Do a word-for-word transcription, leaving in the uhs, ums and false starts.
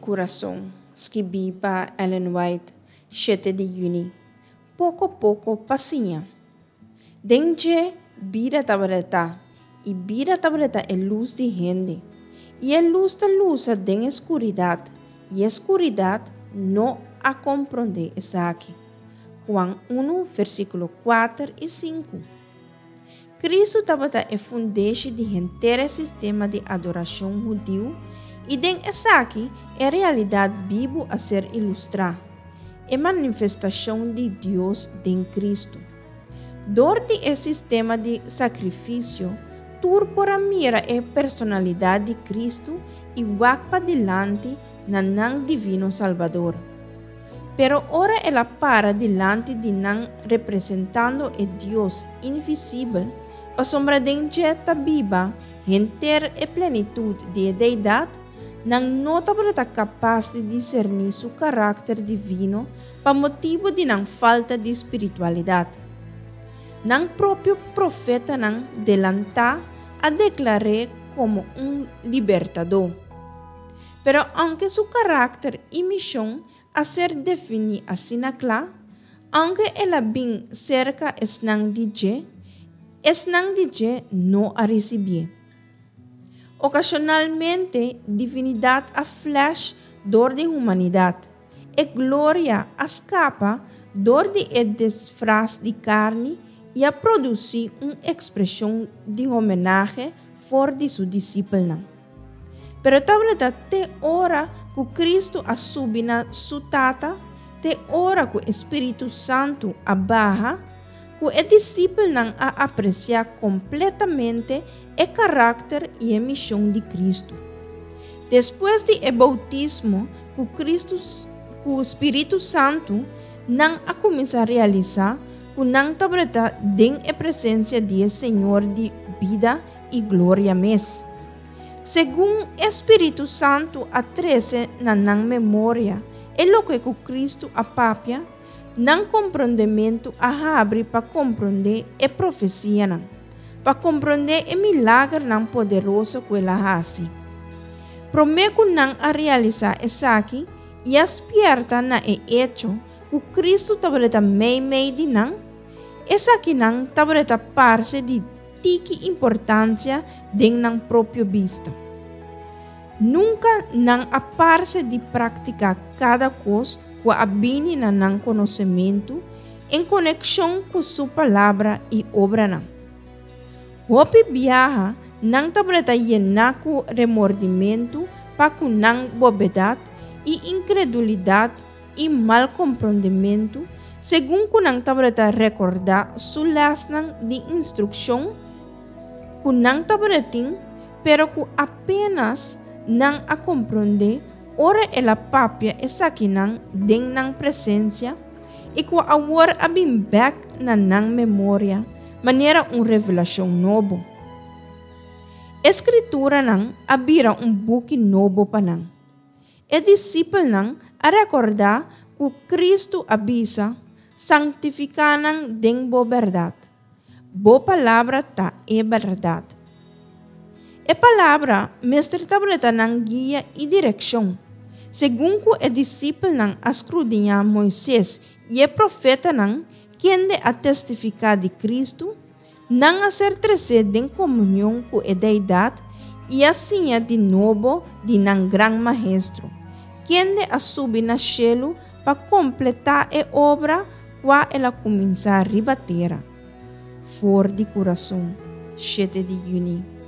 kurason, skibí pa Ellen White, shete di yüni. Poko poko pa siña. Den dje bida tabata, i bida tabata e lus di hende. I e lus ta lusa den skuridat, i e skuridat no a komprondé esaki. Juan un, versíkulo kuater i sinku. Kristu tabata e fundeshi di henter sistema di adorashon hudiu i den esaki e realidat bibu a ser ilustrá. E manifestashon di Dios den Kristu. Dor di e sistema di sakrifisio, tur por a mira e personalidat di Kristu i wak padilanti na nan divino Salbador. Pero ora el a para dilanti di nan representando e Dios invisibel, pasobra den dje ta biba henter e plenitut di deidat, nan no tabata kapas di diserní su karakter divino pa motibu di nan falta di spiritualidat. Nan propio profetanan delantá a deklar'é komo un libertadó. Pero aunke su karakter i mishon a ser definí asina kla, aunke el a bin serka esnan di dje, esnan di dje no a risibié. Okashonalmente, divinidat a flash dor di humanidat. E gloria a skapa dor di e disfras di karni i a produsí un ekspreshon di homenahe for di su disipelnan. Pero tabata te ora ku Kristu a subi na su Tata, te ora ku Spiritu Santu a baha, ku e disipelnan a apresiá kompletamente e karakter i e mishon di Kristu. Despues di e boutismo ku Kristu ku Spiritu Santu, nan a kuminsá realisá ku nan tabata den e presensia di Señor di bida i gloria mes. Segun Spiritu Santu a trese na nan memoria e loke ku Kristu a papia, nan komprondementu a habri pa komprondé e profesianan, pa komprondé e milagernan poderoso ku el a hasi. Promé ku nan a realisá esaki i a spièrta na e echo ku Kristu tabata meimei di nan, esakinan tabata parse di tiki importansia den nan propio bista. Nunka nan a parse di praktiká kada kos ku a bini na nan konosementu en konekshon ku su palabra i obranan. Hopi biaha nan tabata yená ku remordimentu pa ku nan bobedat i inkredulidat i mal komprondementu, segun ku nan tabata rekordá su lèsnan di instrukshon ku nan tabatin, pero ku apenas nan a komprondé ora el a papia esakinan den nan presensia i ku awor a bin bèk na nan memoria manera un revelashon nobo. E Skrituranan a bira un buki nobo pa nan. E disipelnan a rekordá ku Kristu a bisa, "Santifiká nan den bo bèrdat. Bo palabra ta e bèrdat." E palabra mester tabata nan guia i direkshon. Segun ku e disipelnan a skrudiñá Moises i e profetanan, kende a testifiká di Kristu, nan a ser tresé den komunion ku e deidat i a siña di nobo di nan gran maestro, kende a subi na shelu pa kompletá e obra kua el a kuminsá riba tera. For di kurason, shete di yüni.